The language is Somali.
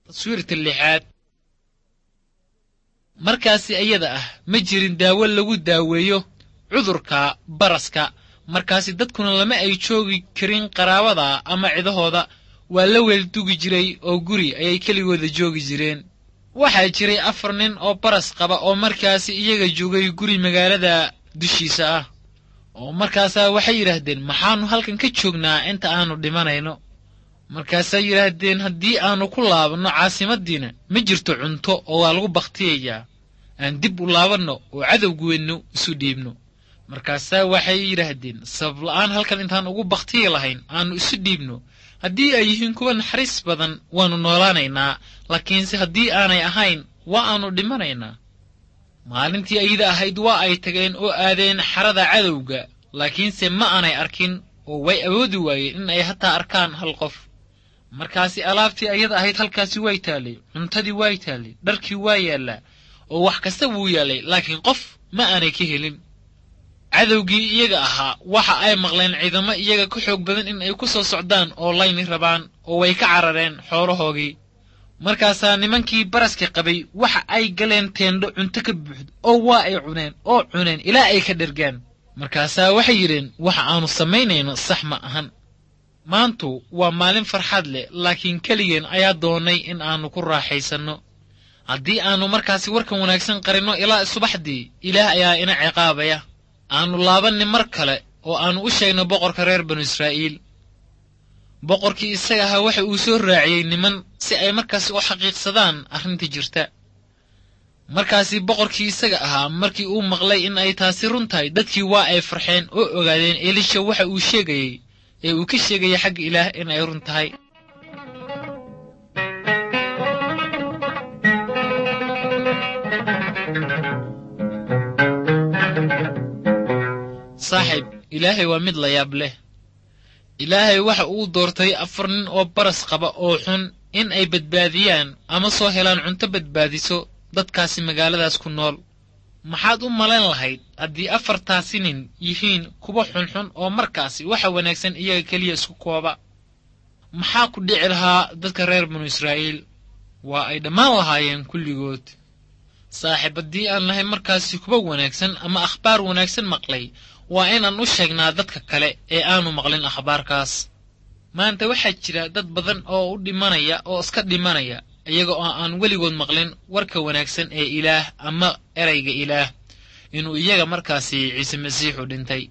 Taswiirta lixaad. Markaasi iyada ah ma jirin daawo lagu daaweeyo cudurka baraska. Markaasi dadkuna lama ay joogi karin qaraabada ama cidahooda, waa la weeldugi jiray oo guri ayay keligooda joogi jireen. Waxaa jiray 4 nin oo baras qaba oo markaasi iyaga joogay guri magaalada dushiisa ah, oo markaasaa waxay yidhaahdeen, maxaannu halkan ka joognaa inta aanu dhimanayno? Markaasay yidhaahdeen, haddii aanu ku laabanno caasimaddiina ma jirto cunto oo waa lagu bakhtiyayaa, aan dib u laabanno oo cadowgeennu isu dhiibno. Markaasaa waxay yidhaahdeen, sabab la'aan halkan intaan ugu bakhtiyi lahayn aanu isu dhiibno. Haddii ay yihiin kuwa naxariis badan waannu noolaanaynaa, laakiinse haddii aanay ahayn waa aanu dhimanaynaa. Maalintii ayada ahayd waa ay tageen oo aadeen xarada cadowga, laakiinse ma aanay arkin oo way awoodi waayeen in ay hataa arkaan hal qof. Markaasi alaabtii ayada ahayd halkaasi way taallay, cuntadii way taallay, dharkii waa yaallaa, oo wax kasta wuu yaallay, laakiin qof ma aanay ka helin. Cadowgii iyaga ahaa waxa ay maqleen ciidamo iyaga ka xoog badan in ay ku soo socdaan oo layni rabaan, oo way ka carareen xoolahoogii. Markaasaa nimankii baraska qabay waxa ay galeen teendho cunto ka buuxdo, oo waa ay cuneen oo cuneen ilaa ay ka dhergaan. Markaasaa waxay yidheen, waxa aanu samaynayno sax ma ahan. Maantu waa maalin farxad leh, laakiin keligeen ayaa doonay in aanu ku raaxaysanno. Haddii aanu markaasi warkan wanaagsan qarinno ilaa subaxdii, Ilaah ayaa ina ciqaabaya. Aanu laabanni mar kale oo aanu u sheegno boqorka reer banu Israa'iil. Boqorkii isaga ahaa waxa uu soo raaciyey niman si ay markaasi u xaqiiqsadaan arrinta jirta. Markaasi boqorkii isaga ahaa markii uu maqlay in ay taasi run tahay, dadkii waa ay farxeen oo ogaadeen Elisha waxa uu sheegayey ee uu ka sheegayay xagga Ilaah in ay run tahay. Saaxiib, Ilaahay waa mid la yaab leh. Ilaahay waxa uu doortay 4 nin oo baras qaba oo xun in ay badbaadiyaan ama soo helaan cunto badbaadiso dadkaasi magaaladaas ku nool. Maxaad u malayn lahayd haddii 4taasi nin yihiin kuwa xunxun oo markaasi waxa wanaagsan iyaga keliya isku kooba? Maxaa ku dhici lahaa dadka reer banu Israa'iil? Waa ay dhammaan lahaayeen kulligood. Saaxiib, haddii aan nahay markaasi kuwa wanaagsan ama akhbaar wanaagsan maqlay, waa inaan u sheegnaa dadka kale ee aanu maqlin akhbaarkaas. Maanta waxaa jira dad badan oo u dhimanaya oo iska dhimanaya iyaga oo aan weligood maqlin warka wanaagsan ee Ilaah ama erayga Ilaah inuu iyaga markaasi Ciise Masiixu dhintay.